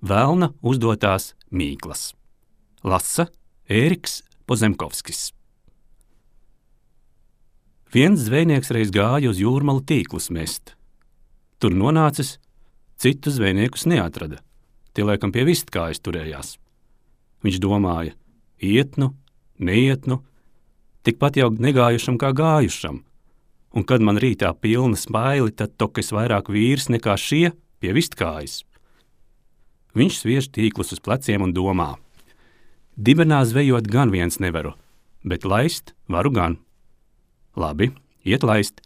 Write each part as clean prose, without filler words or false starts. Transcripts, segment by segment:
Velna uzdotās mīklas. Lasa Ēriks Pozemkovskis. Viens zvejnieks reiz gāja uz jūrmalu tīklus mest. Tur nonācis, citu zvejniekus neatrada. Tie laikam pie vistkājas turējās. Viņš domāja, iet nu, neiet nu, tikpat jau negājušam kā gājušam. Un kad man rītā pilna smaili, tad tokas vairāk vīrs nekā šie pie vistkājas. Viņš sviež tīklus uz pleciem un domā. Dibenā zvejot gan viens nevaru, bet laist varu gan. Labi, iet laist.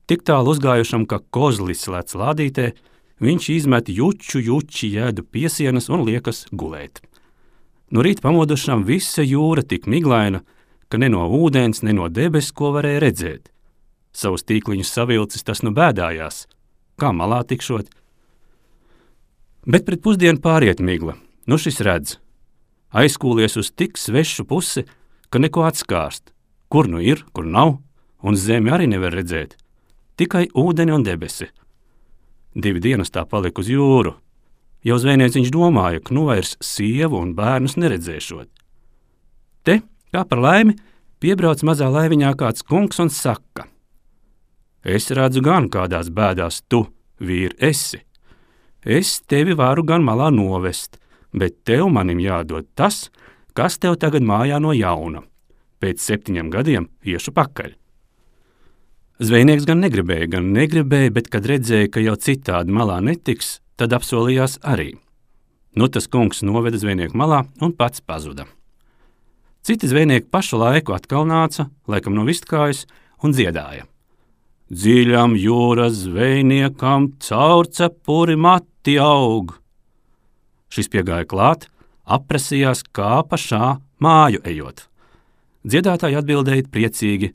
Tik tālu uzgājušam, ka kozlis lec lādītē, viņš izmet juči jēdu piesienas un liekas gulēt. No rīta pamodušam visa jūra tik miglaina, ka ne no ūdens, ne no debes, ko varēja redzēt. Savus tīkliņus savilcis tas nu bēdājās. Kā malā tikšot? Bet pret pusdienu pāriet migla. Nu šis redz. Aizkūlies uz tik svešu pusi, ka neko atskārst. Kur nu ir, kur nav, un zemi arī nevar redzēt. Tikai ūdeni un debesi. 2 dienas tā palika uz jūru. Jau zvejnieks viņš domāja, ka nu vairs sievu un bērnus neredzēšot. Te, kā par laimi, piebrauc mazā laiviņā kāds kungs un saka. Es redzu gan kādās bēdās tu, vīri, esi. Es tevi varu gan malā novest, bet tev manim jādod tas, kas tev tagad mājā no jauna. Pēc 7 gadiem iešu pakaļ. Zvejnieks gan negribēja, bet kad redzēja, ka jau citādi malā netiks, tad apsolījās arī. Nu tas kungs noveda zvejnieku malā un pats pazuda. Citi zvejnieki pašu laiku atkal nāca, laikam no vistkājas, un dziedāja. Dziļam jūras zvejniekam caur cepuri mati aug. Šis piegāja klāt, aprasījās kā pašā māju ejot. Dziedātāji atbildēja priecīgi,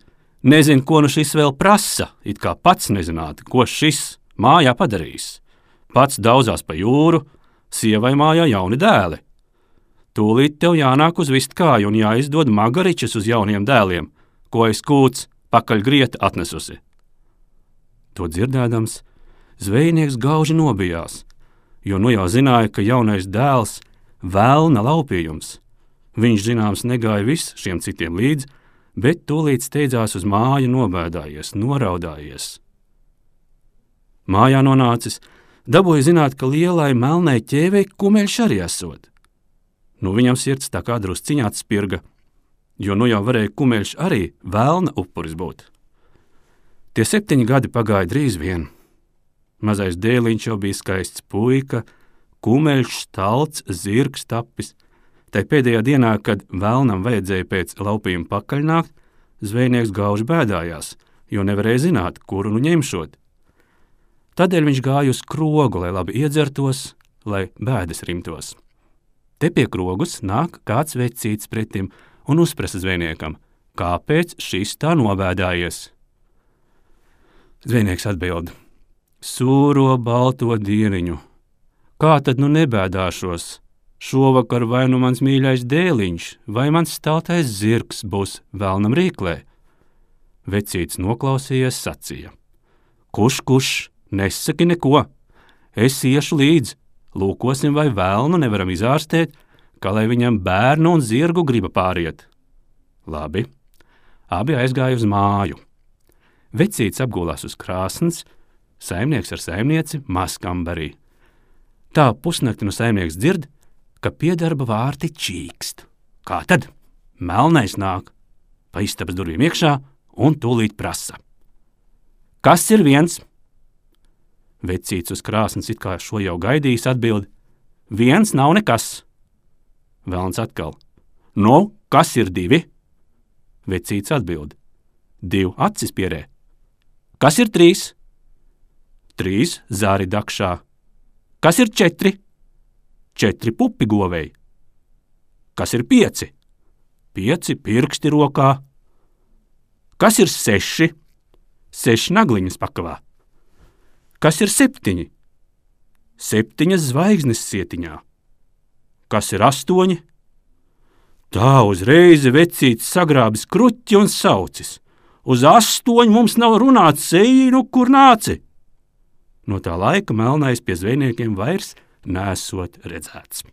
nezin, ko nu šis vēl prasa, it kā pats nezinātu, ko šis mājā padarīs. Pats daudzās pa jūru, sievai mājā jauni dēli. Tūlīt tev jānāk uz vistkāju un jāizdod magaričas uz jauniem dēliem, ko es kūts pakaļ grieta atnesusi. To dzirdēdams, zvejnieks gauži nobijās, jo nu jau zināja, ka jaunais dēls velna laupījums. Viņš zināms negāja viss šiem citiem līdz, bet tūlīt steidzās uz māju nobēdājies, noraudājies. Mājā nonācis, dabūja zināt, ka lielai melnai ķēvei kumeļš arī esot. Nu viņam sirds tā kā drusciņā atspirga, jo nu jau varēja kumeļš arī velna upuris būt. Tie 7 gadi pagāja drīz vien. Mazais dēliņš jau bija skaists puika, kumeļš, stalts, zirgs tapis. Tai pēdējā dienā, kad velnam vajadzēja pēc laupījuma pakaļnākt, zvejnieks gauži bēdājās, jo nevarēja zināt, kuru nu ņemšot. Tādēļ viņš gāja uz krogu, lai labi iedzertos, lai bēdas rimtos. Te pie krogus nāk kāds vecīts pretim un uzprasa zvejniekam, kāpēc šis tā nobēdājies. Zvejnieks atbild, sūro balto dieniņu. Kā tad nu nebēdāšos? Šovakar vai nu mans mīļais dēliņš, vai mans staltais zirgs būs velnam rīklē? Vecīts noklausījies sacīja. Kuš, nesaki neko. Es iešu līdz, lūkosim, vai velnu nevaram izārstēt, kā lai viņam bērnu un zirgu griba pāriet. Labi, abi aizgāja uz māju. Vecīts apgulās uz krāsns, saimnieks ar saimnieci mazkambarī. Tā pusnakti no saimnieks dzird, ka pie darba vārti čīkst. Kā tad? Melnais nāk, pa istabas durvīm iekšā un tūlīt prasa. Kas ir viens? Vecīts uz krāsns it kā šo jau gaidījis atbild, viens nav nekas. Velns atkal. Nu, kas ir 2? Vecīts atbild, 2 acis pierē. Kas ir 3? 3 zāri dakšā. Kas ir 4? 4 pupi govei. Kas ir 5? 5 pirksti rokā. Kas ir 6? 6 nagliņas pakavā. Kas ir 7? 7 zvaigznes sietiņā. Kas ir 8? Tā uzreiz vecīts sagrābis kruķi un saucis. Uz 8 mums nav runāts, ej, nu kur nāci. No tā laika melnais pie zvejniekiem vairs nesot redzēts.